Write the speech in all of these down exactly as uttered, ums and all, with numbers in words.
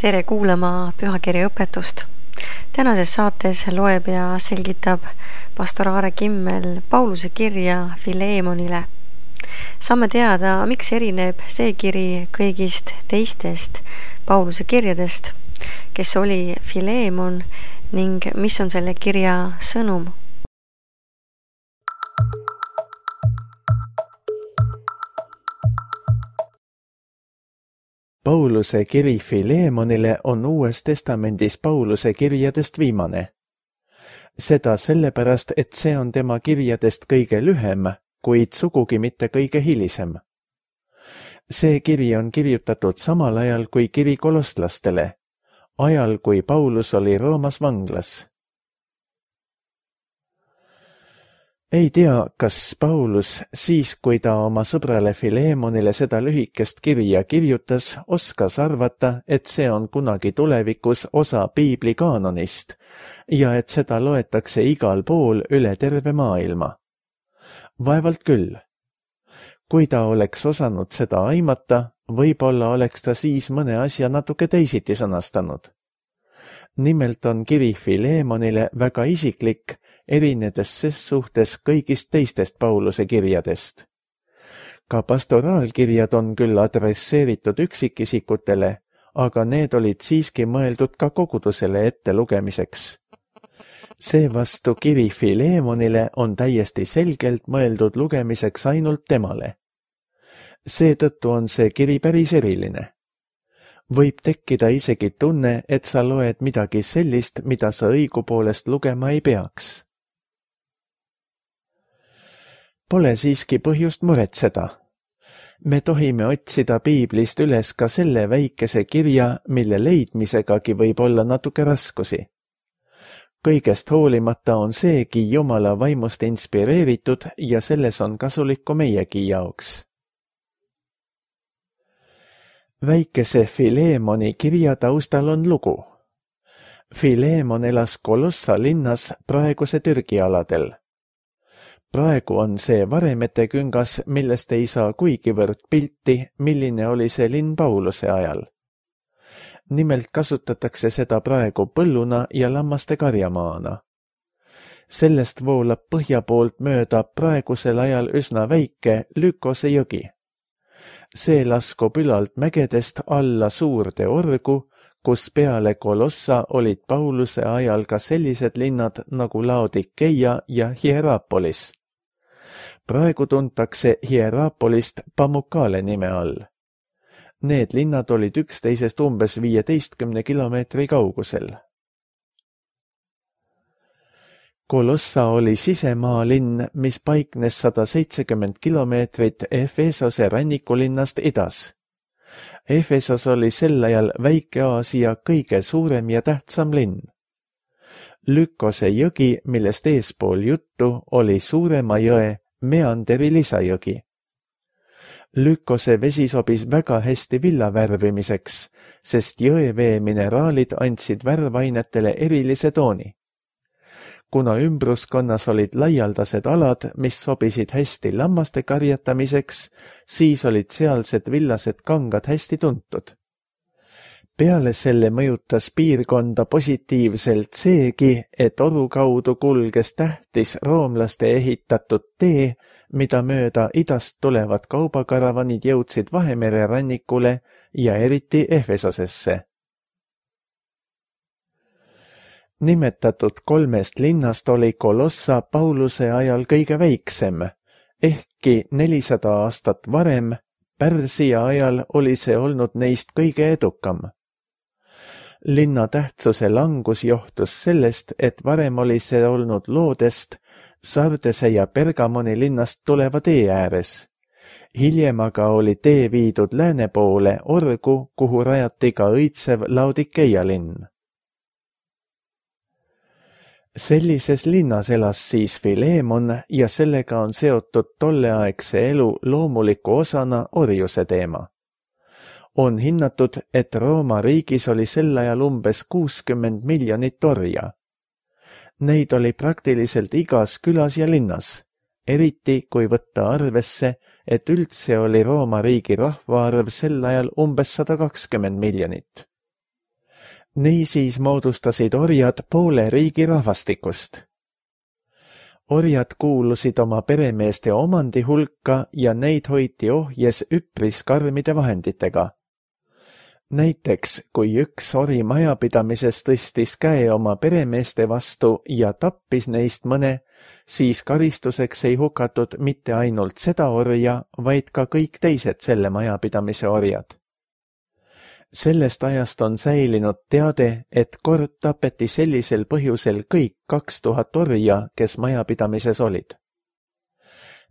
Tere kuulama pühakirja õpetust. Tänases saates loeb ja selgitab pastor Aare Kimmel Pauluse kirja Fileemonile. Saame teada, miks erineb see kiri kõigist teistest Pauluse kirjadest, kes oli Fileemon ning mis on selle kirja sõnum. Pauluse kiri Fileemonile on Uues Testamendis Pauluse kirjadest viimane. Seda sellepärast, et see on tema kirjadest kõige lühem, kuid sugugi mitte kõige hilisem. See kiri on kirjutatud samal ajal kui kiri kolostlastele, ajal kui Paulus oli Roomas vanglas. Ei tea, kas Paulus siis, kui ta oma sõbrale Fileemonile seda lühikest kirja kirjutas, oskas arvata, et see on kunagi tulevikus osa piibli kaanonist ja et seda loetakse igal pool üle terve maailma. Vaevalt küll. Kui ta oleks osanud seda aimata, võib-olla oleks ta siis mõne asja natuke teisiti sõnastanud. Nimelt on kiri Fileemonile väga isiklik, erinedes ses suhtes kõigist teistest Pauluse kirjadest. Ka pastoraalkirjad on küll adresseeritud üksikisikutele, aga need olid siiski mõeldud ka kogudusele ette lugemiseks. Seevastu kiri Fileemonile on täiesti selgelt mõeldud lugemiseks ainult temale. Seetõttu on see kiri päris eriline. Võib tekkida isegi tunne, et sa loed midagi sellist, mida sa õigupoolest lugema ei peaks. Pole siiski põhjust muretseda. Me tohime otsida piiblist üles ka selle väikese kirja, mille leidmisegagi võib olla natuke raskusi. Kõigest hoolimata on seegi Jumala vaimust inspireeritud ja selles on kasulikku meiegi jaoks. Väikese Fileemoni kirja taustal on lugu. Fileemon elas Kolossa linnas praeguse Türgi aladel. Praegu on see varemete küngas, millest ei saa kuigivõrd pilti, milline oli see linn Pauluse ajal. Nimelt kasutatakse seda praegu põlluna ja lammaste karjamaana. Sellest voolab põhja poolt mööda praegusel ajal üsna väike Lykose jõgi. See laskub ülalt mägedest alla suurde orgu, kus peale Kolossa olid Pauluse ajal ka sellised linnad nagu Laodikeia ja Hierapolis. Praegu tuntakse Hierapolist Pamukkale nime all. Need linnad olid üksteisest umbes viieteistkümne kilomeetri kaugusel. Kolossa oli sisemaa linn, mis paiknes sada seitsekümmend kilomeetrit Efesose rannikulinnast idas. Efesos oli sel ajal Väike-Aasia kõige suurem ja tähtsam linn. Lykose jõgi, millest eespool juttu, oli suurema jõe Meanderi lisajõgi. Lykose vesi sobis väga hästi villa värvimiseks, sest jõevee mineraalid andsid värvainetele erilise tooni. Kuna ümbruskonnas olid laialdased alad, mis sobisid hästi lammaste karjatamiseks, siis olid sealsed villased kangad hästi tuntud. Peale selle mõjutas piirkonda positiivselt seegi, et oru kaudu kulges tähtis roomlaste ehitatud tee, mida mööda idast tulevad kaubakaravanid jõudsid Vahemere rannikule ja eriti Efesosesse. Nimetatud kolmest linnast oli Kolossa Pauluse ajal kõige väiksem, ehkki nelisada aastat varem, Pärsia ajal oli see olnud neist kõige edukam. Linna tähtsuse langus johtus sellest, et varem oli see olnud Loodest, Sardese ja Pergamoni linnast tuleva tee ääres. Hiljem aga oli tee viidud lääne poole orgu, kuhu rajati ka õitsev Laodikeia linn. Sellises linnas elas siis Fileemon ja sellega on seotud tolleaegse elu loomuliku osana orjuse teema. On hinnatud, et Rooma riigis oli sel ajal umbes kuuskümmend miljonit orja. Neid oli praktiliselt igas külas ja linnas, eriti kui võtta arvesse, et üldse oli Rooma riigi rahvaarv sel ajal umbes sada kakskümmend miljonit. Niisiis moodustasid orjad poole riigi rahvastikust. Orjad kuulusid oma peremeeste omandi hulka ja neid hoiti ohjes üpris karmide vahenditega. Näiteks, kui üks ori majapidamises tõstis käe oma peremeeste vastu ja tappis neist mõne, siis karistuseks ei hukatud mitte ainult seda orja, vaid ka kõik teised selle majapidamise orjad. Sellest ajast on säilinud teade, et kord tapeti sellisel põhjusel kõik kaks tuhat orja, kes majapidamises olid.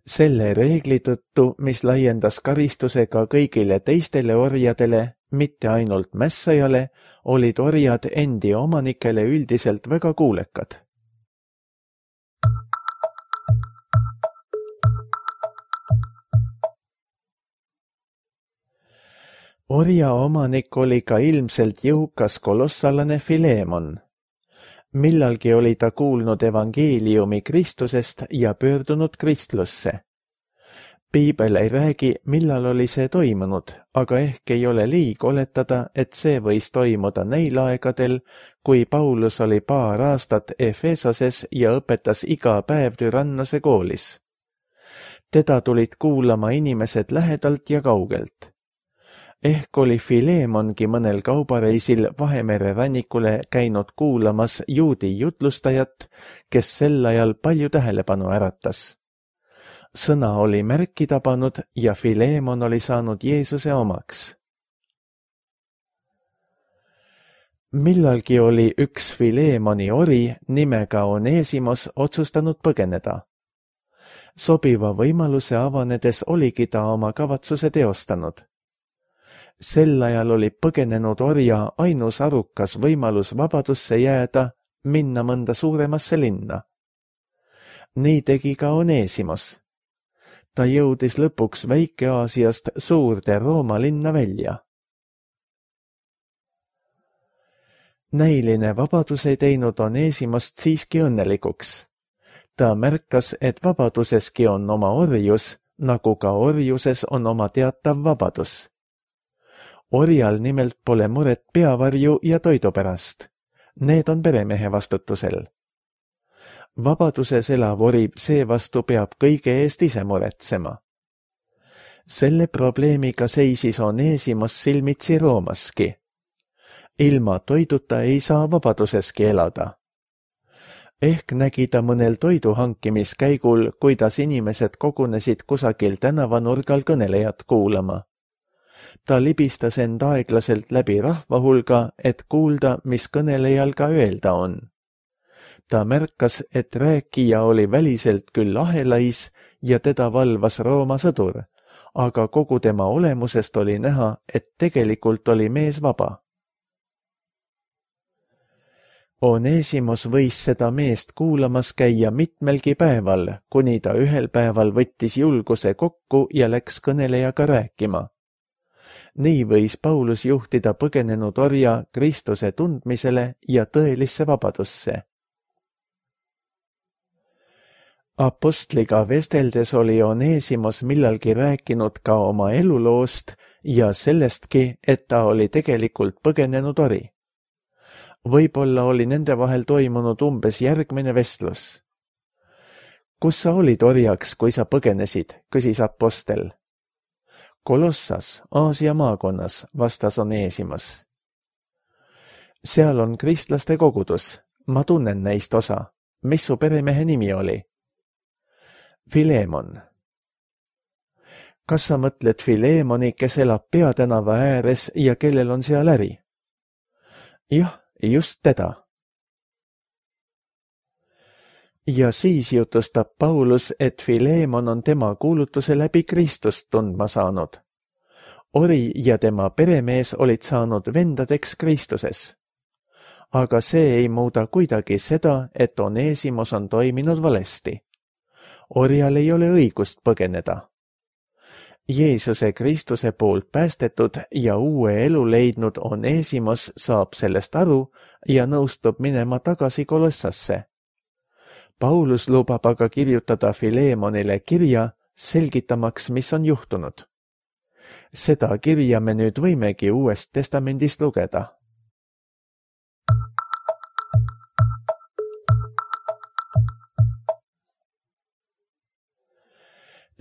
Selle reegli tõttu, mis laiendas karistusega kõigile teistele orjadele, mitte ainult mässajale, olid orjad endi omanikele üldiselt väga kuulekad. Orja omanik oli ka ilmselt jõukas kolossalane Filemon. Millalgi oli ta kuulnud evangeeliumi Kristusest ja pöördunud kristlusse. Piibel ei räägi, millal oli see toimunud, aga ehk ei ole liig oletada, et see võis toimuda neil aegadel, kui Paulus oli paar aastat Efesoses ja õpetas iga päev Tyrannose koolis. Teda tulid kuulama inimesed lähedalt ja kaugelt. Ehk oli Filemongi mõnel kaubareisil Vahemere rannikule käinud kuulamas juudi jutlustajat, kes sel ajal palju tähelepanu äratas. Sõna oli märki tabanud ja Filemon oli saanud Jeesuse omaks. Millalgi oli üks Filemoni ori nimega Onesimos otsustanud põgeneda. Sobiva võimaluse avanedes oligi ta oma kavatsuse teostanud. Sel ajal oli põgenenud orja ainus arukas võimalus vabadusse jääda, minna mõnda suuremasse linna. Nii tegi ka Onesimos. Ta jõudis lõpuks Väike-Aasiast suurde Rooma linna välja. Näiline vabadus ei teinud Onesimost siiski õnnelikuks. Ta märkas, et vabaduseski on oma orjus, nagu ka orjuses on oma teatav vabadus. Orjal nimelt pole muret peavarju ja toidu pärast. Need on peremehe vastutusel. Vabaduses elav ori seevastu peab kõige eest ise muretsema. Selle probleemiga seisis Onesimos silmitsi Roomaski. Ilma toiduta ei saa vabaduseski elada. Ehk nägi ta mõnel toidu hankimiskäigul, kuidas inimesed kogunesid kusagil tänavanurgal kõnelejat kuulama. Ta libistas end aeglaselt läbi rahva hulga, et kuulda, mis kõnelejal ka öelda on. Ta märkas, et rääkija oli väliselt küll ahelais ja teda valvas Rooma sõdur, aga kogu tema olemusest oli näha, et tegelikult oli mees vaba. Onesimos võis seda meest kuulamas käia mitmelgi päeval, kuni ta ühel päeval võttis julguse kokku ja läks kõnelejaga rääkima. Nii võis Paulus juhtida põgenenud orja Kristuse tundmisele ja tõelisse vabadusse. Apostliga vesteldes oli Onesimos millalgi rääkinud ka oma eluloost ja sellestki, et ta oli tegelikult põgenenud ori. Võib-olla oli nende vahel toimunud umbes järgmine vestlus. Kus sa olid orjaks, kui sa põgenesid, küsis apostel. Kolossas, Aasia maakonnas, vastas Onesimos. Seal on kristlaste kogudus, ma tunnen neist osa. Mis su peremehe nimi oli? Filemon. Kas sa mõtled Filemoni, kes elab Peatänava ääres ja kellel on seal äri? Jah, just teda. Ja siis jutustab Paulus, et Filemon on tema kuulutuse läbi Kristust tundma saanud. Ori ja tema peremees olid saanud vendadeks Kristuses. Aga see ei muuda kuidagi seda, et Onesimos on toiminud valesti. Orjal ei ole õigust põgeneda. Jeesuse Kristuse poolt päästetud ja uue elu leidnud Onesimos saab sellest aru ja nõustub minema tagasi Kolossasse. Paulus lubab aga kirjutada Filemonile kirja, selgitamaks, mis on juhtunud. Seda kirja me nüüd võimegi Uuest Testamendist lugeda.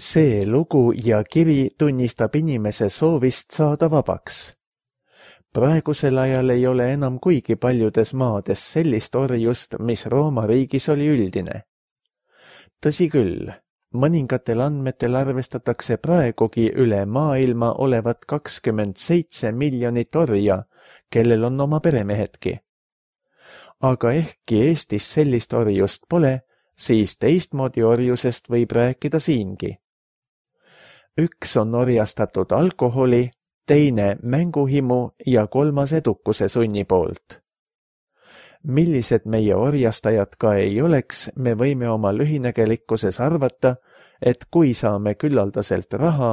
See lugu ja kiri tunnistab inimese soovist saada vabaks. Praegusel ajal ei ole enam kuigi paljudes maades sellist orjust, mis Rooma riigis oli üldine. Tõsi küll, mõningatel andmetel arvestatakse praegugi üle maailma olevat kakskümmend seitse miljonit orja, kellel on oma peremehedki. Aga ehkki Eestis sellist orjust pole, siis teistmoodi orjusest võib rääkida siingi. Üks on orjastatud alkoholi, teine mänguhimu ja kolmas edukuse sunni poolt. Millised meie orjastajad ka ei oleks, me võime oma lühinegelikkuses arvata, et kui saame küllaldaselt raha,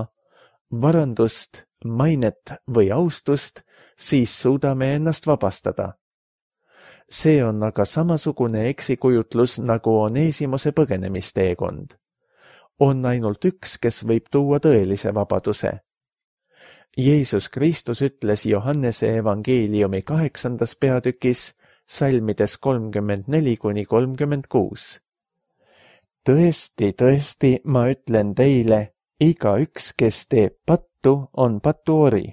varandust, mainet või austust, siis suudame ennast vabastada. See on aga samasugune eksikujutlus, nagu on Eesimose põgenemisteekond. On ainult üks, kes võib tuua tõelise vabaduse. Jeesus Kristus ütles Johannese evangeeliumi kaheksandas peatükis, salmides kolmkümmend neli kuni kolmkümmend kuus. Tõesti, tõesti, ma ütlen teile, iga üks, kes teeb pattu, on patuori.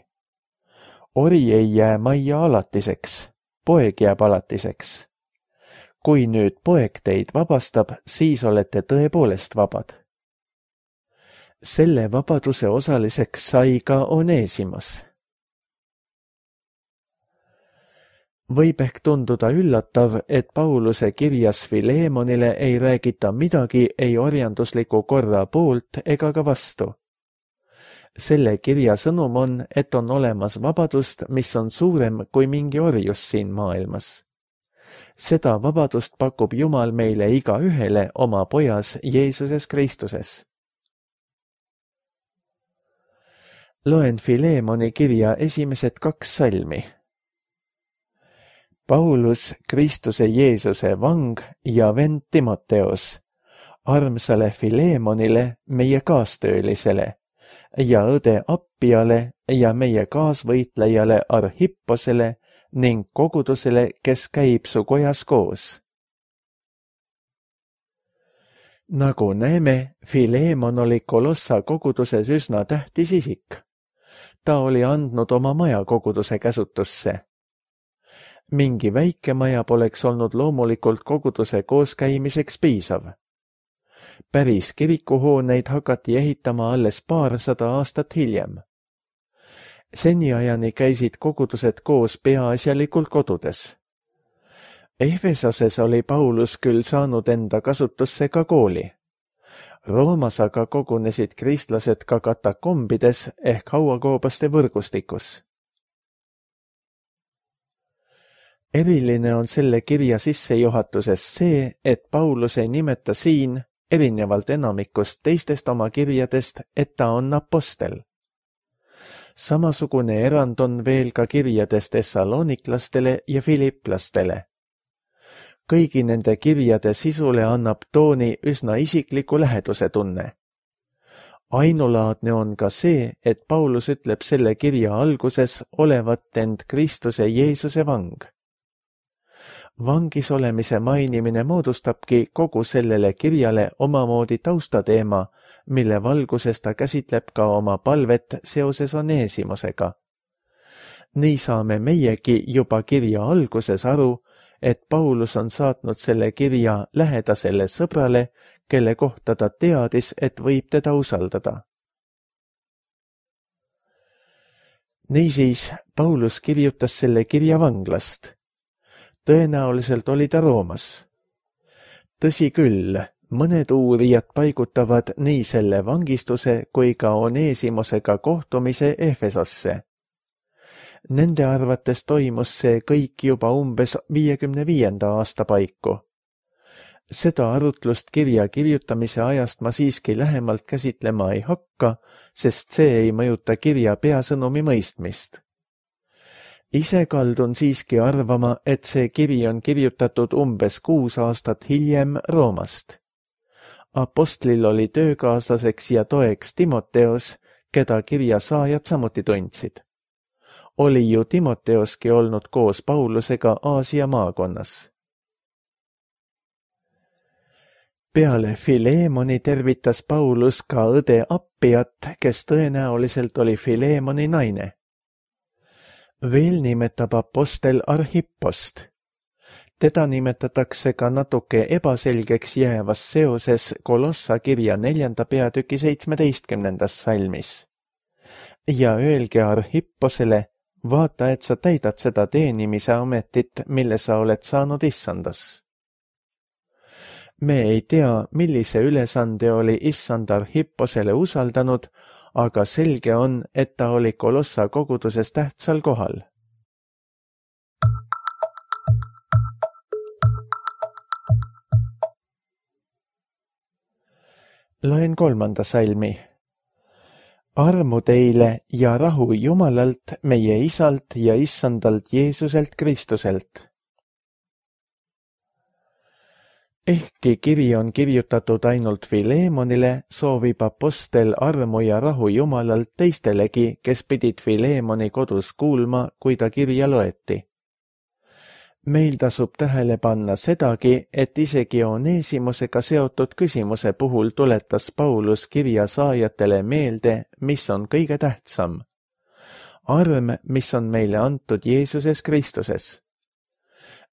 Ori ei jää majja alatiseks, poeg jääb alatiseks. Kui nüüd poeg teid vabastab, siis olete tõepoolest vabad. Selle vabaduse osaliseks sai ka Oneesimos. Võib ehk tunduda üllatav, et Pauluse kirjas Fileemonile ei räägita midagi ei orjandusliku korra poolt ega ka vastu. Selle kirja sõnum on, et on olemas vabadust, mis on suurem kui mingi orjus siin maailmas. Seda vabadust pakub Jumal meile iga ühele oma pojas Jeesuses Kristuses. Loen Fileemoni kirja esimesed kaks salmi. Paulus, Kristuse Jeesuse vang ja vend Timoteos, armsale Fileemonile, meie kaastöölisele, ja õde Appiale ja meie kaasvõitlejale Arhipposele ning kogudusele, kes käib su kojas koos. Nagu näeme, Fileemon oli Kolossa koguduses üsna tähtis isik. Ta oli andnud oma maja koguduse käsutusse. Mingi väike maja poleks olnud loomulikult koguduse kooskäimiseks piisav. Päris kirikuhooneid hakati ehitama alles paarsada aastat hiljem. Seniajani käisid kogudused koos peaasjalikult kodudes. Efesoses oli Paulus küll saanud enda kasutusse ka kooli. Roomas aga kogunesid kristlased ka katakombides ehk hauakoobaste võrgustikus. Eriline on selle kirja sissejuhatuses see, et Paulus ei nimeta siin, erinevalt enamikust teistest oma kirjadest, et ta on apostel. Samasugune erand on veel ka kirjades tessaloniklastele ja filiplastele. Kõigi nende kirjade sisule annab tooni üsna isikliku läheduse tunne. Ainulaadne on ka see, et Paulus ütleb selle kirja alguses olevat end Kristuse Jeesuse vang. Vangis olemise mainimine moodustabki kogu sellele kirjale omamoodi taustateema, mille valguses ta käsitleb ka oma palvet seoses Oneesimosega. Nii saame meiegi juba kirja alguses aru, et Paulus on saatnud selle kirja lähedasele sõbrale, kelle kohta ta teadis, et võib teda usaldada. Niisiis, Paulus kirjutas selle kirja vanglast. Tõenäoliselt oli ta Roomas. Tõsi küll, mõned uurijad paigutavad nii selle vangistuse kui ka Oneesimosega kohtumise Efesosse. Nende arvates toimus see kõik juba umbes viiekümne viienda aasta paiku. Seda arutlust kirja kirjutamise ajast ma siiski lähemalt käsitlema ei hakka, sest see ei mõjuta kirja peasõnumi mõistmist. Ise kaldun siiski arvama, et see kiri on kirjutatud umbes kuus aastat hiljem Roomast. Apostlil oli töökaaslaseks ja toeks Timoteos, keda kirja saajad samuti tundsid. Oli ju Timoteoski olnud koos Paulusega Aasia maakonnas. Peale Filemoni tervitas Paulus ka õde Appiat, kes tõenäoliselt oli Filemoni naine. Veel nimetab apostel Arhippost. Teda nimetatakse ka natuke ebaselgeks jäävas seoses Kolossa kirja neljanda peatüki seitsmeteistkümnendas salmis. Ja öelge Arhipposele, vaata, et sa täidad seda teenimise ametit, mille sa oled saanud issandas. Me ei tea, millise ülesande oli issand Arhipposele usaldanud, aga selge on, et ta oli Kolossa koguduses tähtsal kohal. Loen kolmanda salmi. Armu teile ja rahu Jumalalt, meie isalt ja issandalt Jeesuselt Kristuselt. Ehkki kiri on kirjutatud ainult Filemonile, soovib apostel armu ja rahu Jumalalt teistelegi, kes pidid Filemoni kodus kuulma, kui ta kirja loeti. Meil tasub tähele panna sedagi, et isegi Oneesimusega seotud küsimuse puhul tuletas Paulus kirja saajatele meelde, mis on kõige tähtsam. Arm, mis on meile antud Jeesuses Kristuses.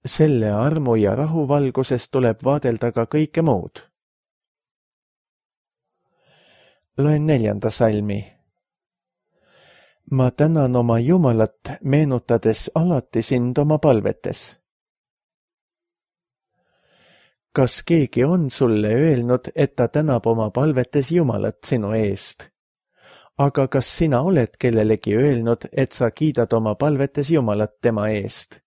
Selle armu ja rahu valguses tuleb vaadelda ka kõike muud. Loen neljanda salmi. Ma tänan oma Jumalat, meenutades alati sind oma palvetes. Kas keegi on sulle öelnud, et ta tänab oma palvetes Jumalat sinu eest? Aga kas sina oled kellelegi öelnud, et sa kiidad oma palvetes Jumalat tema eest?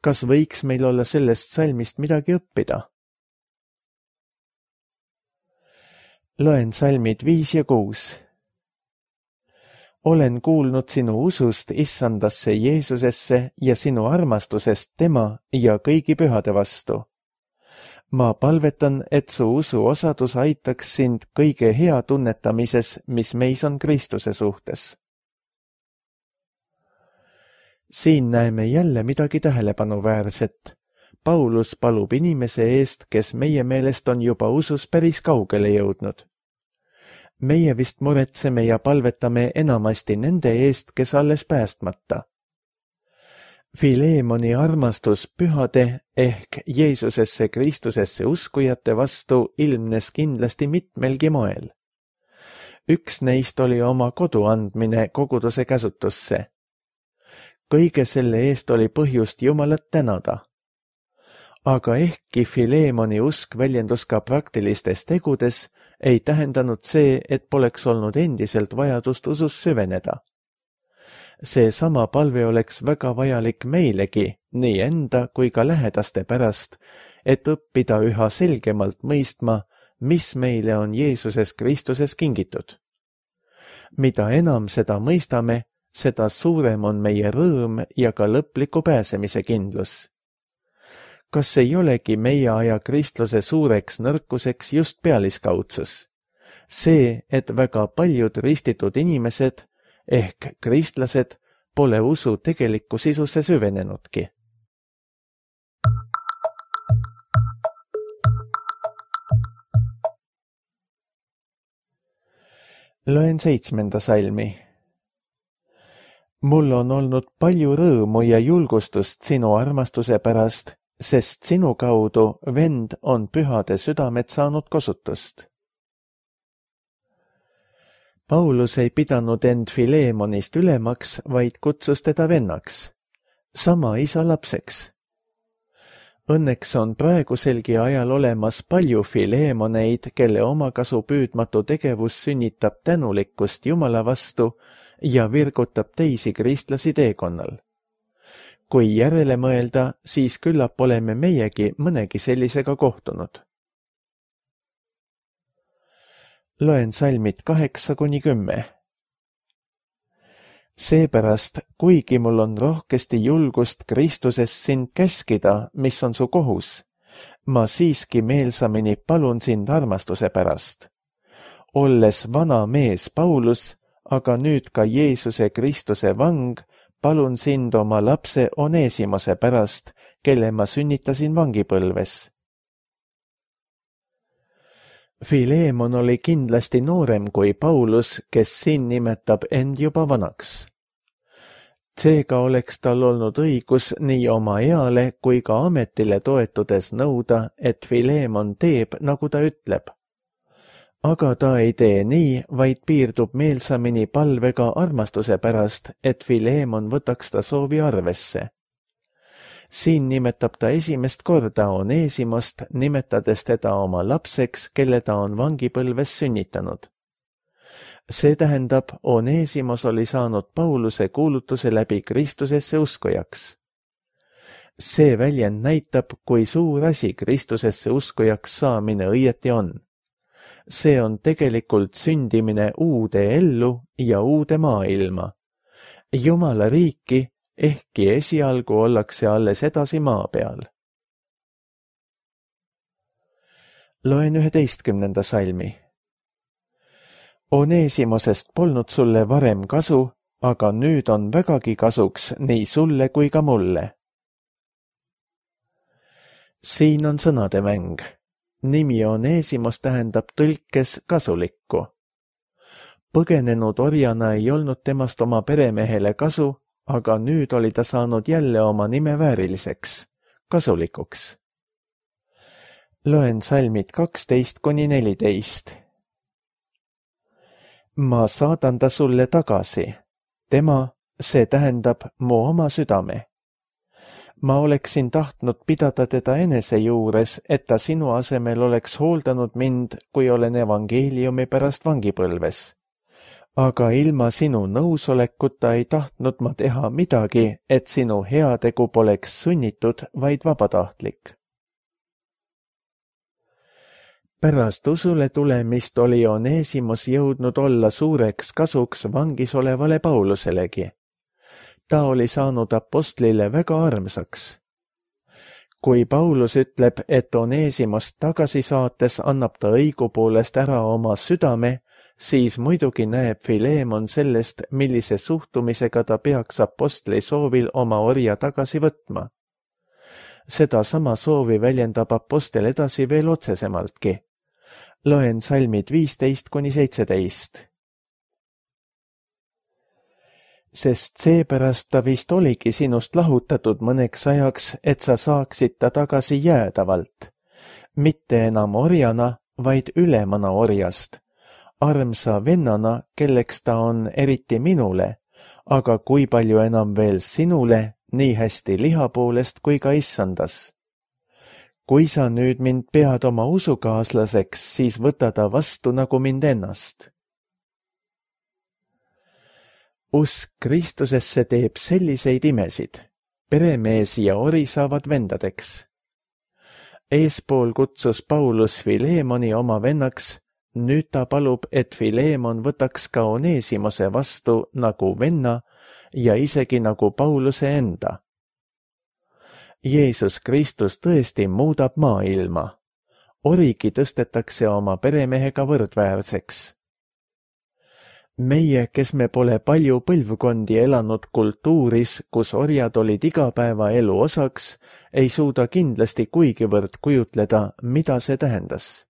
Kas võiks meil olla sellest salmist midagi õppida? Loen salmid viis ja kuus. Olen kuulnud sinu usust issandasse Jeesusesse ja sinu armastusest tema ja kõigi pühade vastu. Ma palvetan, et su usu osadus aitaks sind kõige hea tunnetamises, mis meis on Kristuse suhtes. Siin näeme jälle midagi tähelepanuväärset. Paulus palub inimese eest, kes meie meelest on juba usus päris kaugele jõudnud. Meie vist muretseme ja palvetame enamasti nende eest, kes alles päästmata. Filemoni armastus pühade ehk Jeesusesse Kristusesse uskujate vastu ilmnes kindlasti mitmelgi moel. Üks neist oli oma kodu andmine koguduse käsutusse. Kõige selle eest oli põhjust Jumalat tänada. Aga ehkki Filemoni usk väljendus ka praktilistes tegudes, ei tähendanud see, et poleks olnud endiselt vajadust usus süveneda. See sama palve oleks väga vajalik meilegi, nii enda kui ka lähedaste pärast, et õppida üha selgemalt mõistma, mis meile on Jeesuses Kristuses kingitud. Mida enam seda mõistame, seda suurem on meie rõõm ja ka lõpliku pääsemise kindlus. Kas ei olegi meie aja kristluse suureks nõrkuseks just pealiskaudsus? See, et väga paljud ristitud inimesed ehk kristlased pole usu tegelikku sisusse süvenenudki. Loen seitsmenda salmi. Mul on olnud palju rõõmu ja julgustust sinu armastuse pärast, sest sinu kaudu, vend, on pühade südamed saanud kosutust. Paulus ei pidanud end Filemonist ülemaks, vaid kutsus teda vennaks, sama isa lapseks. Õnneks on praeguselgi ajal olemas palju Filemoneid, kelle omakasu püüdmatu tegevus sünnitab tänulikkust Jumala vastu ja virgutab teisi kristlasi teekonnal. Kui järele mõelda, siis küllap oleme meiegi mõnegi sellisega kohtunud. Loen salmid kaheksa kuni kümme. Seepärast, kuigi mul on rohkesti julgust Kristuses sind käskida, mis on su kohus, ma siiski meelsamini palun sind armastuse pärast. Olles vana mees Paulus, aga nüüd ka Jeesuse Kristuse vang, palun sind oma lapse Oneesimose pärast, kelle ma sünnitasin vangipõlves. Filemon oli kindlasti noorem kui Paulus, kes siin nimetab end juba vanaks. Seega oleks tal olnud õigus nii oma eale kui ka ametile toetudes nõuda, et Filemon teeb, nagu ta ütleb. Aga ta ei tee nii, vaid piirdub meelsamini palvega armastuse pärast, et Filemon võtaks ta soovi arvesse. Siin nimetab ta esimest korda Onesimost, nimetades teda oma lapseks, kelle ta on vangipõlves sünnitanud. See tähendab, Onesimos oli saanud Pauluse kuulutuse läbi Kristusesse uskujaks. See väljend näitab, kui suur asi Kristusesse uskujaks saamine õieti on. See on tegelikult sündimine uude ellu ja uude maailma. Jumala riiki, ehkki esialgu ollakse alles edasi maa peal. Loen üheteistkümnenda salmi. Onesimosest polnud sulle varem kasu, aga nüüd on vägagi kasuks nii sulle kui ka mulle. Siin on sõnade mäng. Nimi Onesimos tähendab tõlkes kasulikku. Põgenenud orjana ei olnud temast oma peremehele kasu, aga nüüd oli ta saanud jälle oma nime vääriliseks, kasulikuks. Loen salmid kaksteist kuni neliteist. Ma saadan ta sulle tagasi. Tema, see tähendab mu oma südame. Ma oleksin tahtnud pidada teda enese juures, et ta sinu asemel oleks hooldanud mind, kui olen evangeeliumi pärast vangipõlves. Aga ilma sinu nõusolekuta ei tahtnud ma teha midagi, et sinu heategu poleks sunnitud, vaid vabatahtlik. Pärast usule tulemist oli Onesimos jõudnud olla suureks kasuks vangis olevale Pauluselegi. Ta oli saanud apostlile väga armsaks. Kui Paulus ütleb, et Onesimost tagasi saates annab ta õigupoolest ära oma südame, siis muidugi näeb Filemon sellest, millise suhtumisega ta peaks apostli soovil oma orja tagasi võtma. Seda sama soovi väljendab apostel edasi veel otsesemaltki. Loen salmid viisteist kuni seitseteist. Sest seepärast ta vist oligi sinust lahutatud mõneks ajaks, et sa saaksid ta tagasi jäädavalt, mitte enam orjana, vaid ülemana orjast, armsa vennana, kelleks ta on eriti minule, aga kui palju enam veel sinule, nii hästi liha poolest kui ka issandas. Kui sa nüüd mind pead oma usukaaslaseks, siis võta ta vastu nagu mind ennast. Usk Kristusesse teeb selliseid imesid. Peremees ja ori saavad vendadeks. Eespool kutsus Paulus Filemoni oma vennaks, nüüd ta palub, et Filemon võtaks ka Onesimose vastu nagu venna ja isegi nagu Pauluse enda. Jeesus Kristus tõesti muudab maailma. Origi tõstetakse oma peremehega võrdväärseks. Meie, kes me pole palju põlvkondi elanud kultuuris, kus orjad olid igapäevaelu osaks, ei suuda kindlasti kuigivõrd kujutleda, mida see tähendas.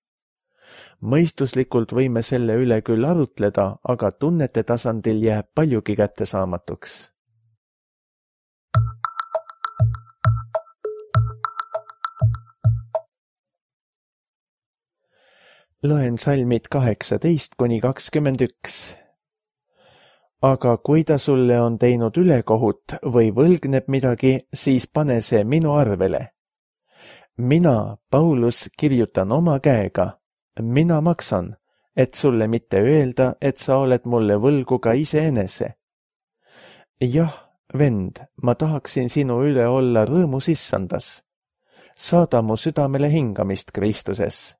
Mõistuslikult võime selle üle küll arutleda, aga tunnete tasandil jääb paljugi kättesaamatuks. Loen salmid kaheksateist kuni kakskümmend üks. Aga kui ta sulle on teinud ülekohut või võlgneb midagi, siis pane see minu arvele. Mina, Paulus, kirjutan oma käega. Mina maksan, et sulle mitte öelda, et sa oled mulle võlgu ka iseenese. Jah, vend, ma tahaksin sinu üle olla rõõmus issandas. Saada mu südamele hingamist Kristuses.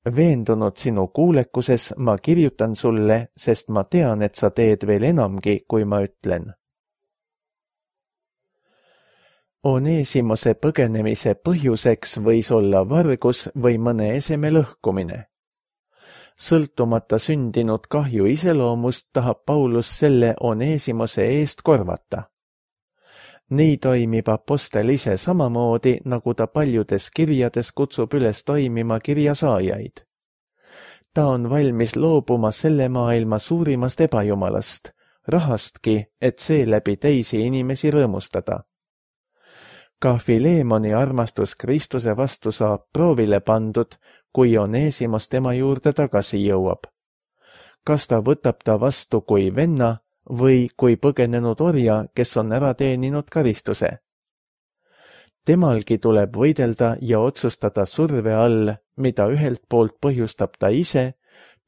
Veendunud sinu kuulekuses ma kirjutan sulle, sest ma tean, et sa teed veel enamgi, kui ma ütlen. Onesimose põgenemise põhjuseks võis olla vargus või mõne eseme lõhkumine. Sõltumata sündinud kahju iseloomust tahab Paulus selle Onesimose eest korvata. Nii toimib apostel ise samamoodi, nagu ta paljudes kirjades kutsub üles toimima kirjasaajaid. Ta on valmis loobuma selle maailma suurimast ebajumalast, rahastki, et seeläbi teisi inimesi rõõmustada. Ka Filemoni armastus Kristuse vastu saab proovile pandud, kui on Eesimos tema juurde tagasi jõuab. Kas ta võtab ta vastu kui venna või kui põgenenud orja, kes on ära teeninud karistuse? Temalgi tuleb võidelda ja otsustada surve all, mida ühelt poolt põhjustab ta ise,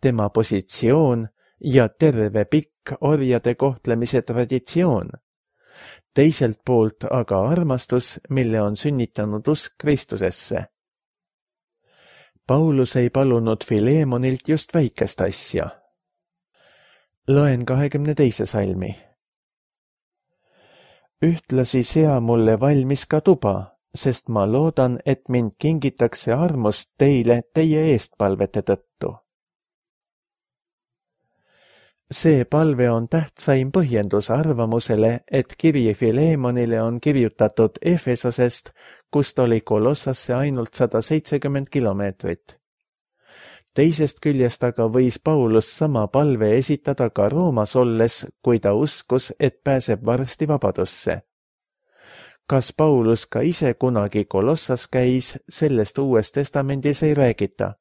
tema positsioon ja terve pikk orjade kohtlemise traditsioon. Teiselt poolt aga armastus, mille on sünnitanud usk Kristusesse. Paulus ei palunud Filemonilt just väikest asja. Loen kahekümne teise salmi. Ühtlasi sea mulle valmis ka tuba, sest ma loodan, et mind kingitakse armust teile teie eestpalvete tõttu. See palve on tähtsaim põhjendus arvamusele, et kiri Filemonile on kirjutatud Efesosest, kust oli Kolossasse ainult sada seitsekümmend kilomeetrit. Teisest küljest aga võis Paulus sama palve esitada ka Roomas olles, kui ta uskus, et pääseb varsti vabadusse. Kas Paulus ka ise kunagi Kolossas käis, sellest Uues Testamendis ei räägita.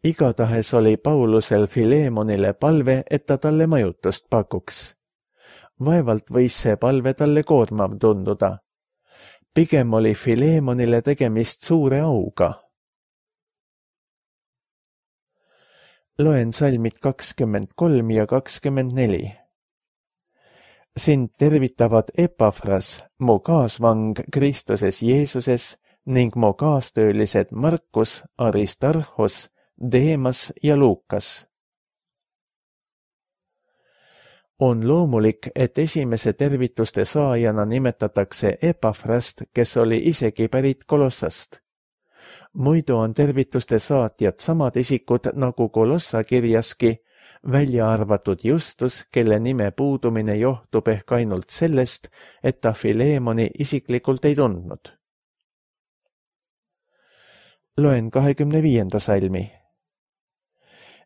Igatahes oli Paulusel Filemonile palve, et ta talle majutust pakuks. Vaevalt võis see palve talle koormav tunduda. Pigem oli Filemonile tegemist suure auga. Loen salmid kakskümmend kolm ja kakskümmend neli. Sind tervitavad Epafras, mu kaasvang Kristuses Jeesuses ning mu kaastöölised Markus, Aristarhos, Deemas ja Luukas. On loomulik, et esimese tervituste saajana nimetatakse Epafrast, kes oli isegi pärit Kolossast. Muidu on tervituste saatjad samad isikud nagu Kolossa kirjaski, välja arvatud Justus, kelle nime puudumine johtub ehk ainult sellest, et ta Filemoni isiklikult ei tundnud. Loen kahekümne viienda salmi.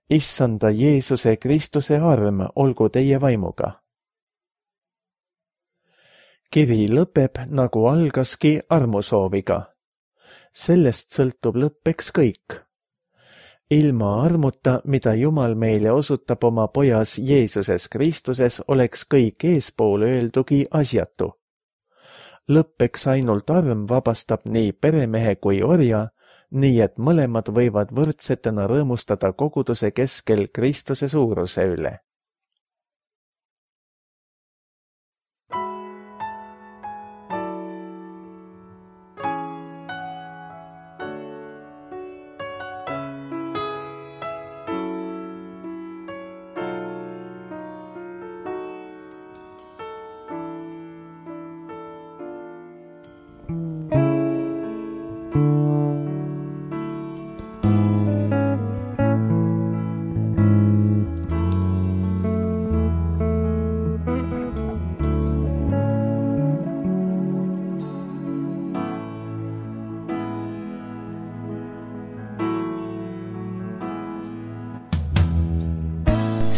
Issanda Jeesuse Kristuse arm olgu teie vaimuga. Kiri lõpeb, nagu algaski, armusooviga. Sellest sõltub lõppeks kõik. Ilma armuta, mida Jumal meile osutab oma pojas Jeesuses Kristuses, oleks kõik eespool öeldugi asjatu. Lõppeks ainult arm vabastab nii peremehe kui orja, nii et mõlemad võivad võrdsetena rõõmustada koguduse keskel Kristuse suuruse üle.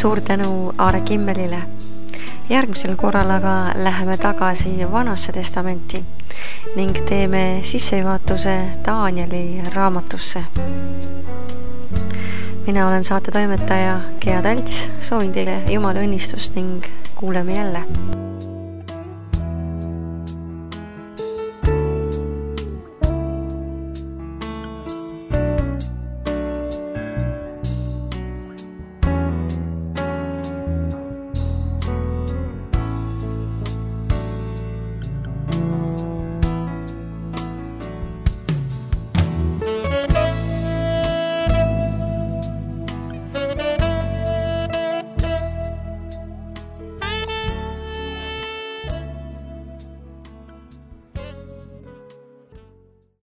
Suur tänu Aare Kimmelile. Järgmisel korral aga läheme tagasi Vanasse Testamenti ning teeme sissejuhatuse Danieli raamatusse. Mina olen saate toimetaja Gea Talts, soovin teile Jumala õnnistust ning kuuleme jälle.